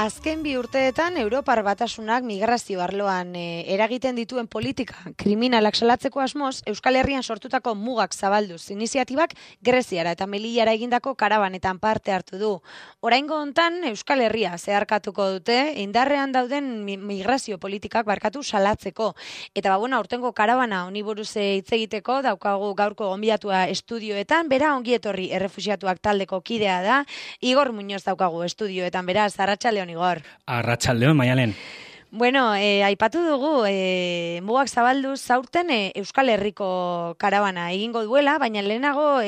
Azken 2 urteetan Europar Batasunak migrazio arloan eragiten dituen politika kriminalak salatzeko asmoz, Euskal Herrian sortutako mugak zabalduz iniziatibak Greziara eta Melillara egindako karabanetan parte hartu du. Oraingo hontan Euskal Herria zeharkatuko dute indarrean dauden migrazio politikak salatzeko. Eta aurtengo karabana honi buruz hitz egiteko daukagu gaurko gonbidatua estudioetan, bera ongietorri errefuxiatuak taldeko kidea da, Igor Muñoz daukagu estudioetan, beraz, arratsaldeon Igor. Arratsaldeon, Maialen. Bueno, aipatu dugu, mugak zabalduz zaurten Euskal Herriko karabana egingo duela, baina lehenago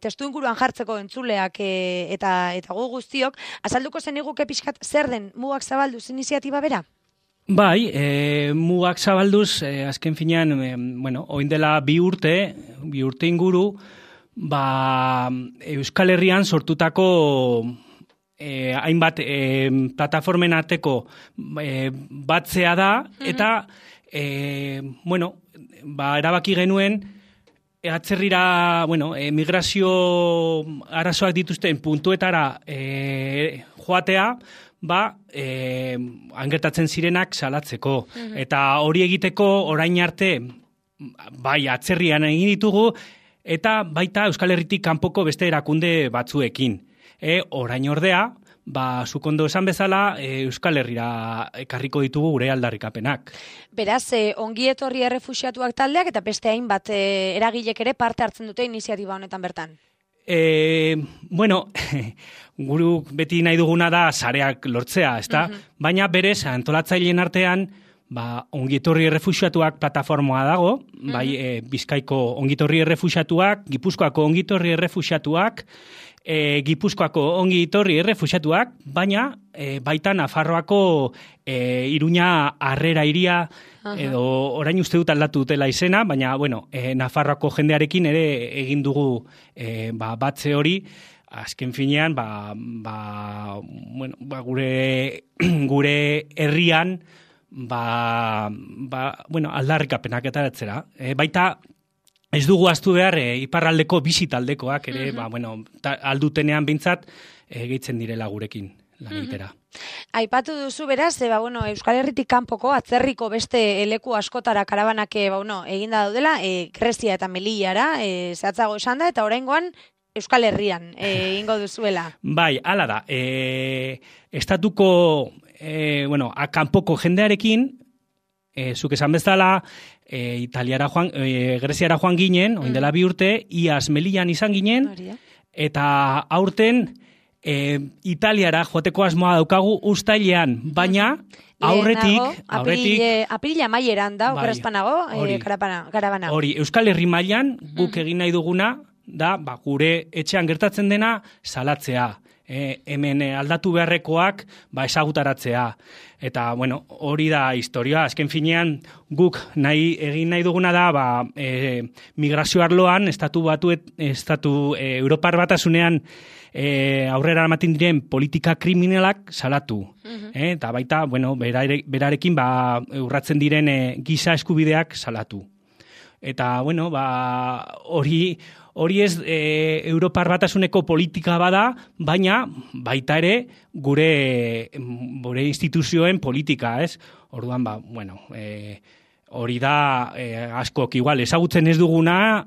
testu inguruan jartzeko entzuleak eta gu guztiok, azalduko zeniguke pixkat zer den mugak zabalduz iniziatiba bera? Bai, mugak zabalduz, azken finean, oin dela 2 urte inguru, Euskal Herrian sortutako hainbat plataformen arteko batzea da, eta erabaki genuen atzerrira, migrazio arazoak dituzten puntuetara joatea, angertatzen zirenak salatzeko. Eta hori egiteko orain arte, atzerrian egin ditugu, eta baita Euskal Herritik kanpoko beste erakunde batzuekin. Orain ordea, zuk ondo esan bezala, Euskal Herrira ekarriko ditugu gure aldarrikapenak. Beraz, ongi etorri errefuxiatuak taldeak eta beste hainbat eragilek ere parte hartzen dute iniziatiba honetan bertan. Guruk beti nahi duguna da sareak lortzea, ezta? Baina berez, antolatzaileen artean, ongietorri errefuxiatuak plataformoa dago, Bizkaiko ongietorri errefuxiatuak, Gipuzkoako ongietorri errefuxiatuak, Gipuzkoako ongietorri errefuxiatuak, baina baita Nafarroako Iruña Harrera hiria, edo orain uste dut aldatu dutela izena, baina Nafarroako jendearekin ere egin dugu batze hori, azken finean, gure herrian, aldarrikapenak eta etzera. Baita, ez dugu ahaztu behar, iparraldeko bizitaldekoak ere, aldutenean bintzat, gehitzen direla gurekin lan egitera. Aipatu duzu beraz, Euskal Herritik kanpoko atzerriko beste leku askotara karabanak eginda daudela, Grezia eta Melillara, zehatzago esan da, eta oraingoan Euskal Herrian egingo duzuela. Bai, hala da. Estatuko kanpoko jendearekin, zuk esan bezala, Greziara joan ginen, oin dela 2 urte, iaz Melillan izan ginen, eta aurten Italiara joateko asmoa daukagu uztailean, baina aurretik... Apirila maieran da, okerrezpanago, karabana. Hori, Euskal Herri mailan guk egin nahi duguna, da gure etxean gertatzen dena salatzea. Hemen aldatu beharrekoak ezagutaratzea. Eta, hori da historia. Azken finean, guk egin nahi duguna da, migrazio arloan, Europar Batasunean aurrera ematen diren politika kriminalak salatu. Eta baita, berarekin urratzen diren giza eskubideak salatu. Eta, hori ez Europar Batasuneko politika bada, baina baita ere gure instituzioen politika, ez? Orduan, hori da askok igual ezagutzen ez duguna,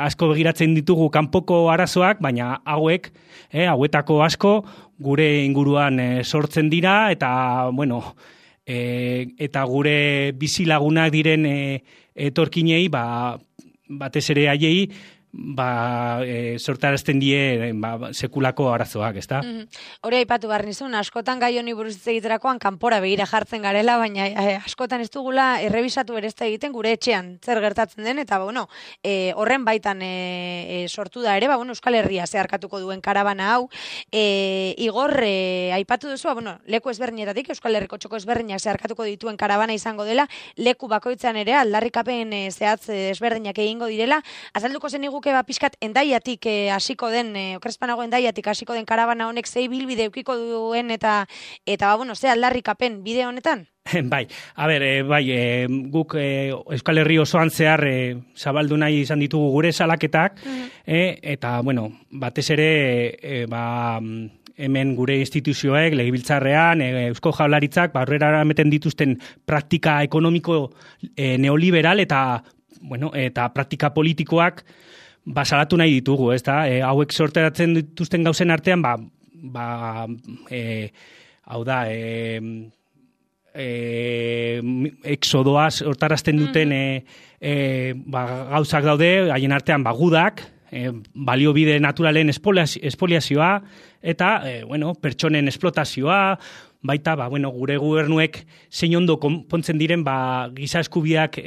asko begiratzen ditugu kanpoko arazoak, baina hauetako asko gure inguruan sortzen dira, eta, eta gure bizilagunak diren etorkinei, batez ere haiei, sortarazten die sekulako arazoak, ezta? Hori aipatu behar nizun, askotan gai honi buruz hitz egiterakoan kanpora begira jartzen garela, baina askotan ez dugula errebisatu ere ez da egiten gure etxean zer gertatzen den, eta horren baitan sortu da ere, Euskal Herria zeharkatuko duen karabana hau. Igor, aipatu duzu, leku ezberdinetatik, Euskal Herriko txoko ezberdinak zeharkatuko dituen karabana izango dela, leku bakoitzan ere aldarrikapen zehatz ezberdinak egingo direla, azalduko zenigu pixkat endaiatik hasiko den, okerrezpanago endaiatik hasiko den karabana honek zei bilbide eukiko duen eta ze aldarrikapen bide honetan? Bai, guk Euskal Herri osoan zehar zabaldu nahi izan ditugu gure salaketak, eta, batez ere, hemen gure instituzioek, legebiltzarrean, Eusko Jaurlaritzak, aurrera eramaten dituzten praktika ekonomiko neoliberal eta praktika politikoak salatu nahi ditugu, ez da? Hauek sorteratzen dituzten gauzen artean, hau da, exodoa hortarazten duten gauzak daude, haien artean gudak, baliobide naturalen espoliazioa, eta pertsonen esplotazioa, baita gure gobernuek zein ondo konpontzen diren giza eskubiak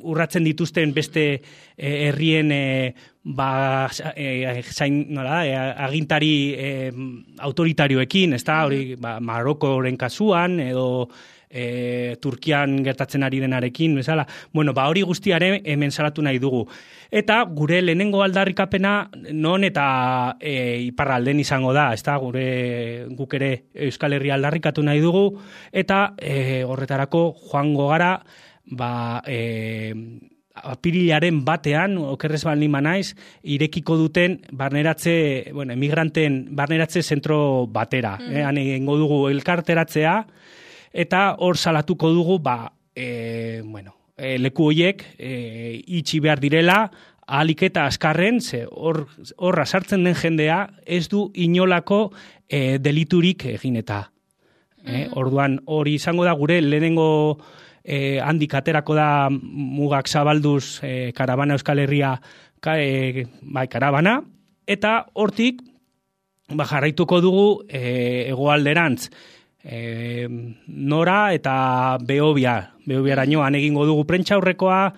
urratzen dituzten beste herrien agintari autoritarioekin, ez da, hori Marokoren kasuan, edo Turkian gertatzen ari denarekin, bezala. Hori guztiare hemen salatu nahi dugu. Eta gure lehenengo aldarrikapena non eta iparralden izango da, ez da, guk ere Euskal Herria aldarrikatu nahi dugu, eta horretarako joango gara, apirilaren batean, okerrez baldin naiz, irekiko duten emigranten barneratze zentro batera. Han egingo dugu elkarteratzea, eta hor salatuko dugu, leku horiek itxi behar direla, ahalik eta azkarren, horra sartzen den jendea, ez du inolako deliturik egin eta. Orduan, hori izango da gure lehenengo handik aterako da mugak zabalduz karabana Euskal Herria karabana, eta hortik jarraituko dugu hegoalderantz Nora eta Behobiaraino han egingo dugu prentsaurrekoa,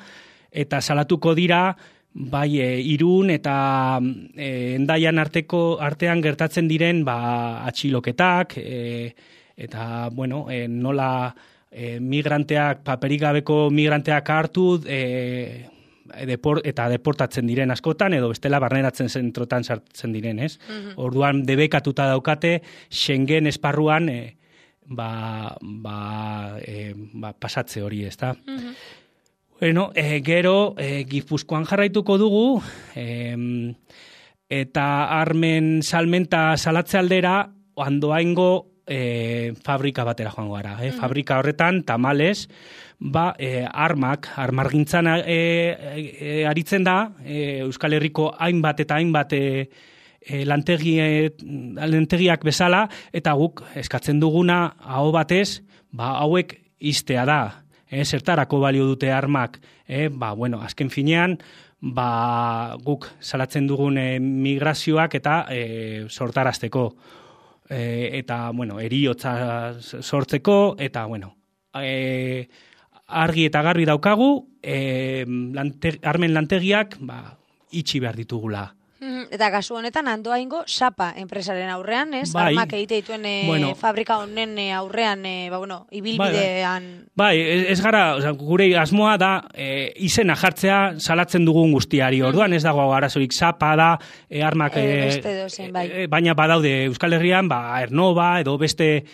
eta salatuko dira Irun eta Hendaian artean gertatzen diren atxiloketak, eta nola migranteak, paperik gabeko migranteak hartu eta deportatzen diren askotan, edo bestela barneratzen zentrotan sartzen diren, ez? Orduan debekatuta daukate Schengen esparruan pasatze hori, ez da? Gero, Gipuzkoan jarraituko dugu, eta armen salmenta salatze aldera, Andoaingo fabrika batera joango gara. Fabrika horretan, tamales, armargintzan aritzen da, Euskal Herriko hainbat eta hainbat lantegiak bezala, eta guk eskatzen duguna aho batez, hauek iztea da. Zertarako balio dute armak, azken finean, guk salatzen dugun migrazioak eta sortarazteko. Eta, heriotza sortzeko, eta, argi eta garbi daukagu, armen lantegiak itxi behar ditugula. Eta kasu honetan Andoaingo Sapa enpresaren aurrean, ez? Armak egite dituen fabrika honen aurrean, ibilbidean... Ez gara, gure asmoa da izena jartzea salatzen dugun guztiari. Orduan ez dago arazorik, Sapa da, armak... Baina badaude Euskal Herrian, Ernova edo beste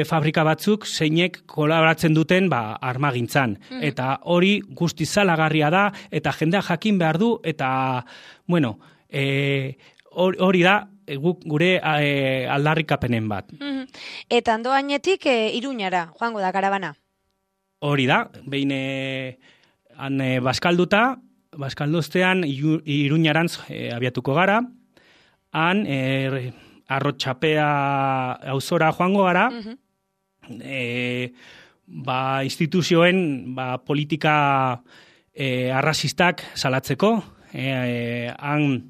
fabrika batzuk zeinek kolaboratzen duten armagintzan. Eta hori guzti zalagarria da, eta jendea jakin behar du, eta, hori da gure aldarrikapenen bat. Eta Andoainetik Iruñara, joango da karabana? Hori da, behin Baskalduztean Iruñarantz abiatuko gara, han Arrotxapea auzora joango gara, instituzioen politika arrazistak salatzeko, han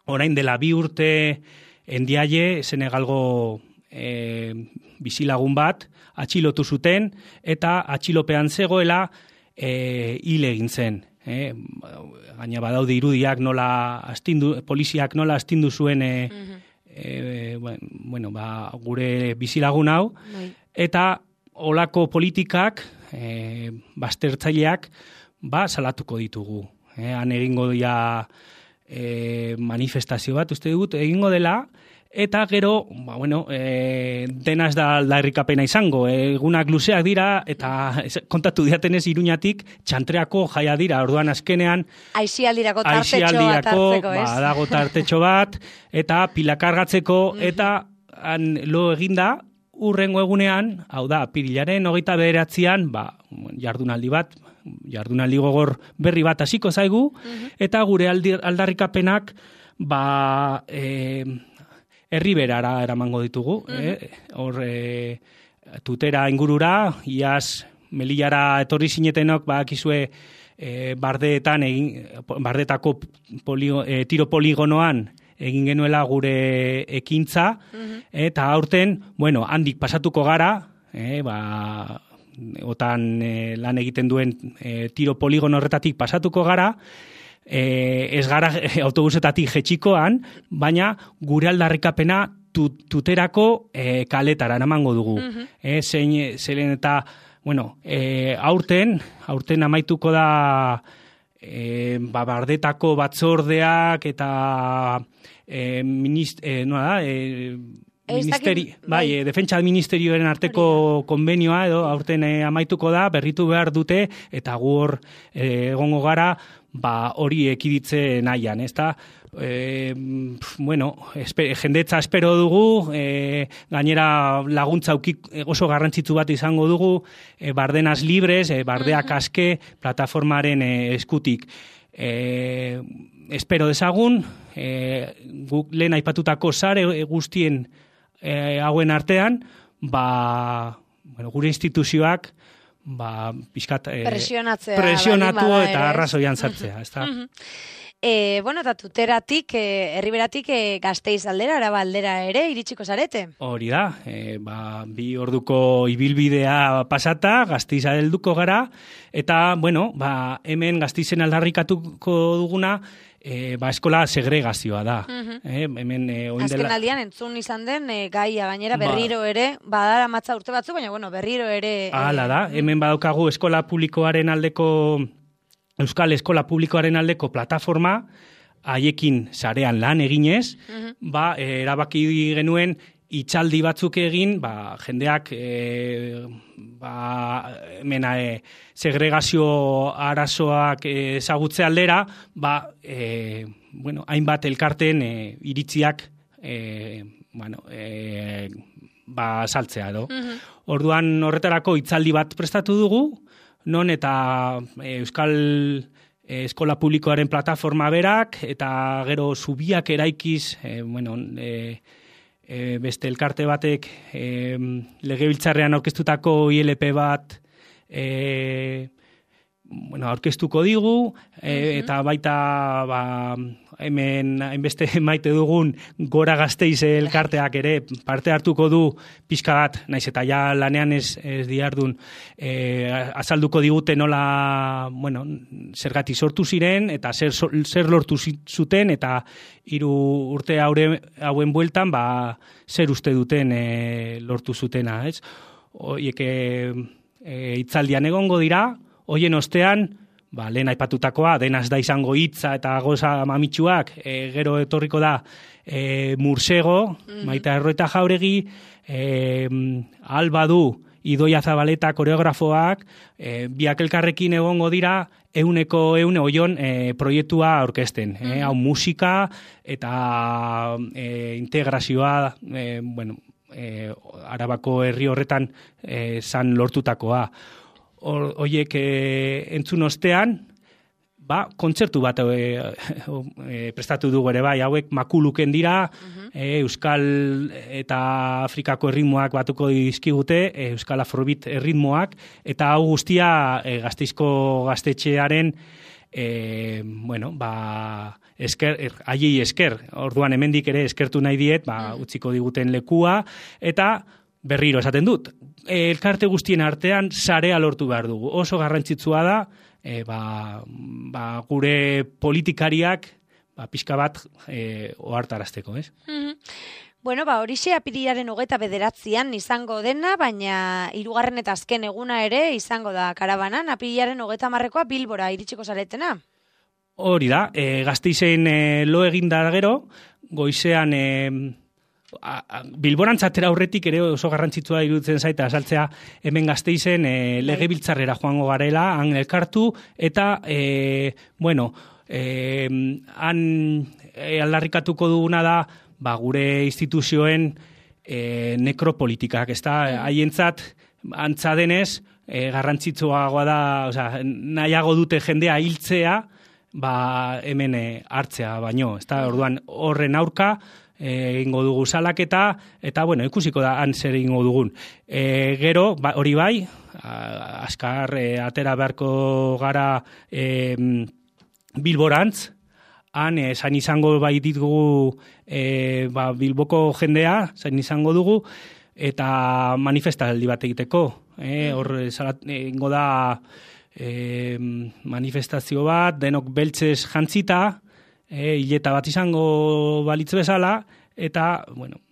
orain dela 2 urte Endiaie, Senegalgo bizilagun bat, atxilotu zuten, eta atxilopean zegoela hil egin zen. Gaina badaude irudiak poliziak nola astindu zuen gure bizilagun hau, eta olako politikak, baztertzaileak, salatuko ditugu. Han egingo dira manifestazio bat, uste dut, egingo dela, Eta gero, dena ez da aldarrikapena izango, egunak luzeak dira, eta kontatu diatenez Iruñatik txantreako jaia dira, orduan azkenean Aizialdirako tartetxo bat hartzeko, ez? Dago tartetxo bat, eta pilakargatzeko, eta lo eginda, urrengo egunean, hau da, apirilaren 29an, jardunaldi gogor berri bat hasiko zaigu, eta gure aldarrikapenak, herriberara eramango ditugu, hor tutera ingurura, iaz Melillara etorri zinetenok, akizue bardetako tiro poligonoan egin genuela gure ekintza, eta aurten, handik pasatuko gara, otan lan egiten duen tiro poligono horretatik pasatuko gara, ez gara autobusetatik jetxikoan, baina gure aldarrikapena tuterako kaletara eramango dugu. Zeren eta, aurten amaituko da bardetako batzordeak eta defentsa ministerioaren arteko konbenioa edo aurten amaituko da, berritu behar dute, eta gu hor egongo gara, hori ekiditze nahian, ezta? Jendetza espero dugu, gainera laguntza oso garrantzitsu bat izango dugu, Bardenas Libres, Bardeak Aske, plataformaren eskutik. Espero dezagun, guk lehen aipatutako sare guztien hauen artean, gure instituzioak pixkat presionatu eta arrazoian sartzea, ezta? Eta tuteratik, herriberatik Gasteiz aldera, Araba aldera ere, iritsiko zarete? Hori da, 2 orduko ibilbidea pasata, Gasteiz helduko gara, eta, hemen Gasteizen aldarrikatuko duguna, eskola segregazioa da. Azken aldian entzun izan den, gaia gainera berriro ere, badara matza urte batzu, baina berriro ere... Hala da, hemen badaukagu eskola publikoaren aldeko... Euskal Eskola Publikoaren aldeko plataforma, haiekin sarean lan eginez, erabaki genuen itxaldi batzuk egin, jendeak segregazio arazoak ezagutze aldera, hainbat elkarten iritziak saltzea edo. Orduan horretarako itzaldi bat prestatu dugu, non eta Euskal Eskola Publikoaren plataforma berak, eta gero zubiak eraikiz, beste elkarte batek legebiltzarrean aurkeztutako ILP bat aurkeztuko digu, eta baita hemen hainbeste maite dugun Gora Gasteiz elkarteak ere parte hartuko du pixka bat, naiz eta ja lanean ez diardun, azalduko digute nola, zergatik sortu ziren, eta zer lortu zuten, eta 3 urte hauen bueltan, zer uste duten lortu zutena, ez? Hoiek hitzaldian egongo dira, hoien ostean, lehen aipatutakoa, denaz da izango hitza eta goza mamitsuak, gero etorriko da Mursego, Maite Arroeta Jauregi, Alba du, Idoia Zabaleta koreografoak, biak elkarrekin egongo dira, 100% oion proiektua aurkezten. Hau musika eta integrazioa, Arabako herri horretan zan lortutakoa. Hoiek entzun ostean, kontzertu bat prestatu dugu ere hauek makuluken dira, Euskal eta Afrikako erritmoak batuko dizkigute, Euskal Afrobeat erritmoak, eta hau guztia Gasteizko gaztetxearen, haiei esker, orduan hemendik ere eskertu nahi diet, utziko diguten lekua, eta berriro esaten dut, elkarte guztien artean sarea lortu behar dugu. Oso garrantzitsua da, gure politikariak pixka bat ohartarazteko, ez? Horixe apirilaren 29an izango dena, baina 3. eta azken eguna ere izango da karabanan, apirilaren 30ekoa Bilbora iritsiko zaretena. Hori da, Gasteizen lo eginda gero, goizean Bilborantz atera aurretik ere oso garrantzitsua iruditzen zaita azaltzea hemen Gasteizen legebiltzarrera joango garela, han elkartu, eta, han aldarrikatuko duguna da, gure instituzioen nekropolitikak, ez da, haientzat antza denez, garrantzitsuagoa da, nahiago dute jendea hiltzea, hemen hartzea baino, ez da, orduan horren aurka, egingo dugu salaketa, eta, ikusiko da, han zer egingo dugun. Gero, hori bai, azkar atera beharko gara Bilborantz, han zain izango bai ditugu Bilboko jendea, zain izango dugu, eta manifestaldi bat egiteko. Hor, egingo da manifestazio bat, denok beltzez jantzita, hileta bat izango balitz bezala, eta,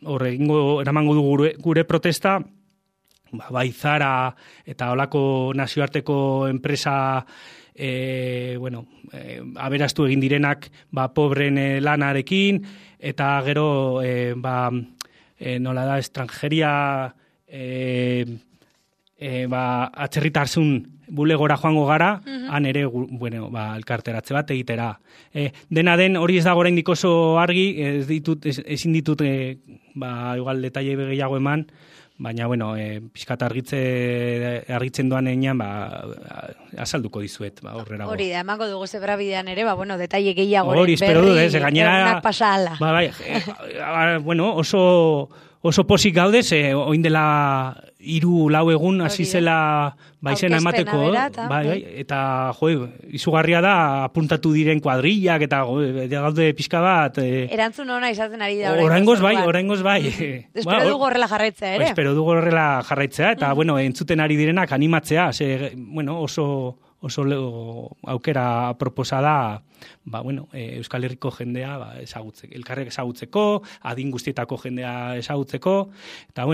horre, eramango dugu gure protesta, bai Zara eta holako nazioarteko enpresa, aberastu egin direnak, pobren lanarekin, eta gero, nola da, estrangeria, atzerritarsun bulegora joango gara, han ere, elkarteratze bat egitera. Dena den, hori ez dago oraindik oso argi, ezin ditut, igual detaile gehiago eman, baina, pixkat argitzen doan enean, azalduko dizuet, horrera. Hori da, emango dugu zebra bidean ere, detaile gehiago hori, espero du, gainera, pasa ala. Oso posik gaudez, oin dela 3-4 egun hasi zela izena emateko, eta izugarria da apuntatu diren kuadrillak eta gaude pixka bat. Erantzun ona izaten ari da. Oraingoz bai. Espero dugu horrela jarraitzea ere. Espero dugu horrela jarraitzea, eta entzuten ari direnak animatzea, oso aukera proposa da, Euskal Herriko jendea ezagutzeko, elkarrek ezagutzeko, adin guztietako jendea ezagutzeko, eta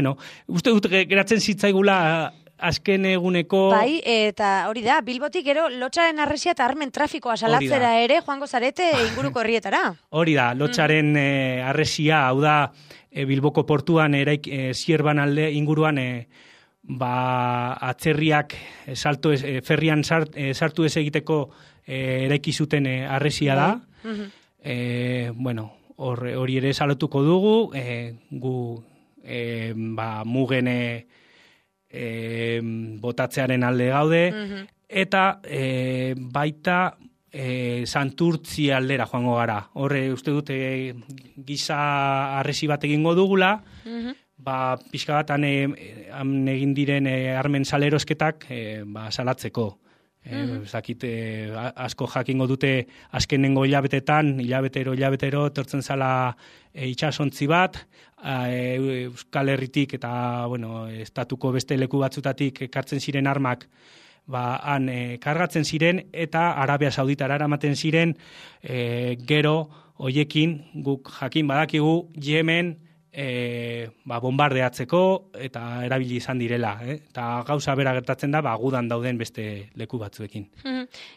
uste dut geratzen zitzaigula azken eguneko... Bai, eta hori da, Bilbotik gero lotxaren arresia eta armen trafikoa salatzera ere joango zarete inguruko herrietara. Hori da, lotxaren arresia, hau da, Bilboko portuan Zierban alde inguruan atzerriak ferrian sartu ez egiteko eraiki zuten arresia da. Hori ere salatuko dugu, gu mugen botatzearen alde gaude, eta baita Santurtzi aldera joango gara. Horre uste dute giza arresi bat egingo dugula, pixka bat han egin diren armen salerosketak salatzeko. Asko jakingo dute azkenengo hilabetero tortzen zala itxasontzi bat, Euskal Herritik eta estatuko beste leku batzutatik ekartzen ziren armak han kargatzen ziren eta Arabia Sauditara eramaten ziren, gero hoiekin guk jakin badakigu Yemen bombardeatzeko eta erabili izan direla. Eta gauza bera gertatzen da, gudan dauden beste leku batzuekin.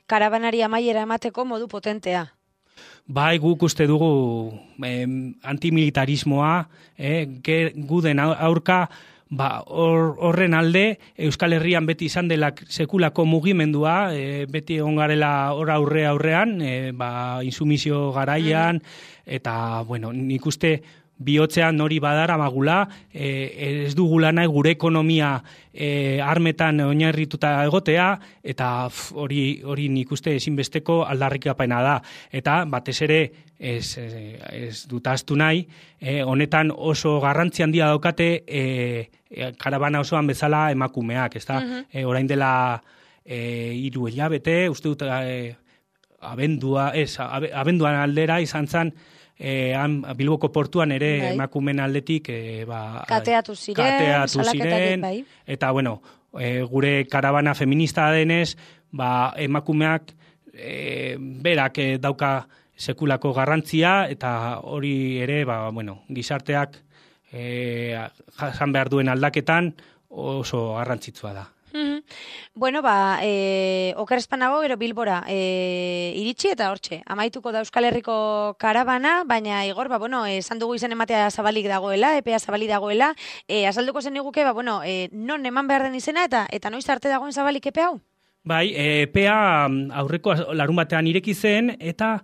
Karabanari amaiera emateko modu potentea. Bai, guk uste dugu antimilitarismoa, guden aurka, horren alde, Euskal Herrian beti izan dela sekulako mugimendua, beti egon garela aurrean, insumizio garaian, eta, nik uste bihotzean hori badara magula, ez dugula nahi gure ekonomia armetan oinarrituta egotea, eta hori nik uste ezinbesteko aldarrikapena da. Eta batez ere ez dut ahaztu nahi, honetan oso garrantzi handia daukate karabana osoan bezala emakumeak, ezta? Orain dela 3 hilabete, uste dut abenduan aldera izan zen, Bilboko portuan ere emakumen aldetik kateatu ziren, eta gure karabana feminista denez, emakumeak berak dauka sekulako garrantzia, eta hori ere gizarteak jasan behar duen aldaketan oso garrantzitsua da. Bueno, oker espanago gero Bilbora iritsi eta hortxe. Amaituko da Euskal Herriko karabana, baina Igor, esan dugu izen ematea zabalik dagoela, epea zabalik dagoela, azalduko zen iguke, non eman behar den izena eta noiz arte dagoen zabalik epe hau? Bai, epea aurreko larun batean ireki zen, eta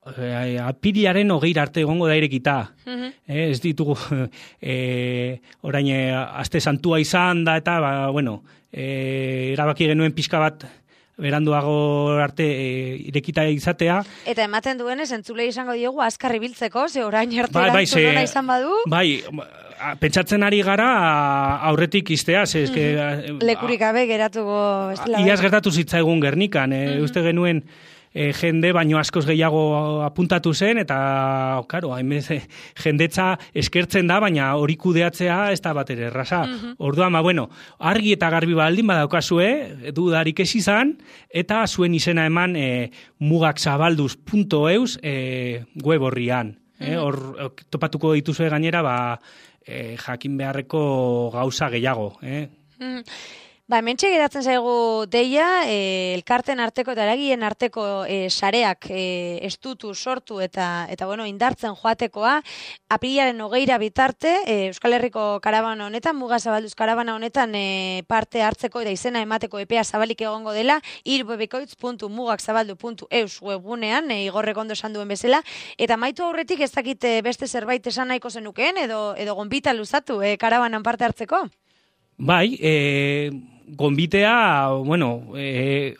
apirilaren 20 arte egongo da irekita. Ez ditugu orain aste santua izan da, eta erabaki genuen pixka bat beranduago arte irekita izatea. Eta ematen duenez, entzulei izango diogu azkar ibiltzeko, ze orain arte erantzuna izan badu? Bai, pentsatzen ari gara aurretik iztea, lekurik gabe geratuko... Iaz gertatu zitzaigun Gernikan, uste genuen jende baino askoz gehiago apuntatu zen, eta, karo, jendetza eskertzen da, baina hori kudeatzea ez da bat ere erraza. Orduan, argi eta garbi baldin badaukazue, dudarik ez izan, eta zuen izena eman mugaksabalduz.eus web horrian. Hor topatuko dituzue gainera, jakin beharreko gauza gehiago. Hementxe geratzen zaigu deia, elkarten arteko eta eragien arteko sareak estutu, sortu eta indartzen joatekoa, apirilaren 20 bitarte, Euskal Herriko karabana honetan, Muga Zabalduz karabana honetan parte hartzeko eta izena emateko epea zabalik egongo dela, irubebikoitz.mugakzabaldu.eus webgunean, Igorrek ondo esan duen bezala, eta maitu aurretik ez dakit beste zerbait esan nahiko zenukeen, edo gonbita luzatu karabanan parte hartzeko? Bai, gonbitea,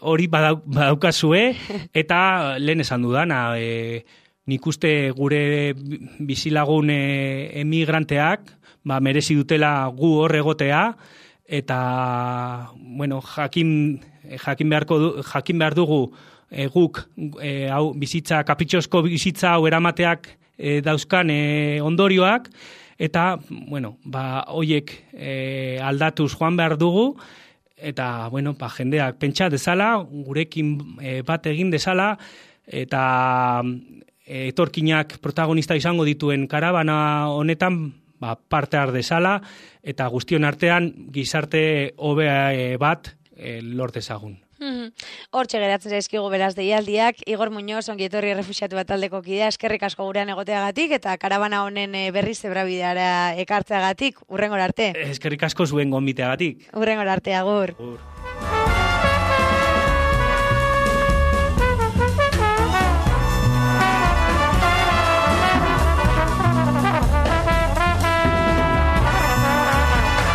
hori badaukazue, eta lehen esan dudana, nik uste gure bizilagun emigranteak, merezi dutela gu hor egotea, eta, jakin behar dugu guk bizitza, kapritxosko bizitza hau eramateak dauzkan ondorioak, eta, hoiek aldatuz joan behar dugu, eta, jendeak pentsa dezala, gurekin bat egin dezala, eta etorkinak protagonista izango dituen karabana honetan parte har dezala, eta guztion artean gizarte hobe bat lor dezagun. Hortxe geratzen zaizkigu beraz deialdiak, Igor Muñoz, ongi etorri errefuxiatu bat taldeko kidea, eskerrik asko gurean egoteagatik, eta karabana honen berriz zebrabideara ekartzeagatik, urrengora arte. Eskerrik asko zuen gonbiteagatik. Urrengora arte, agur.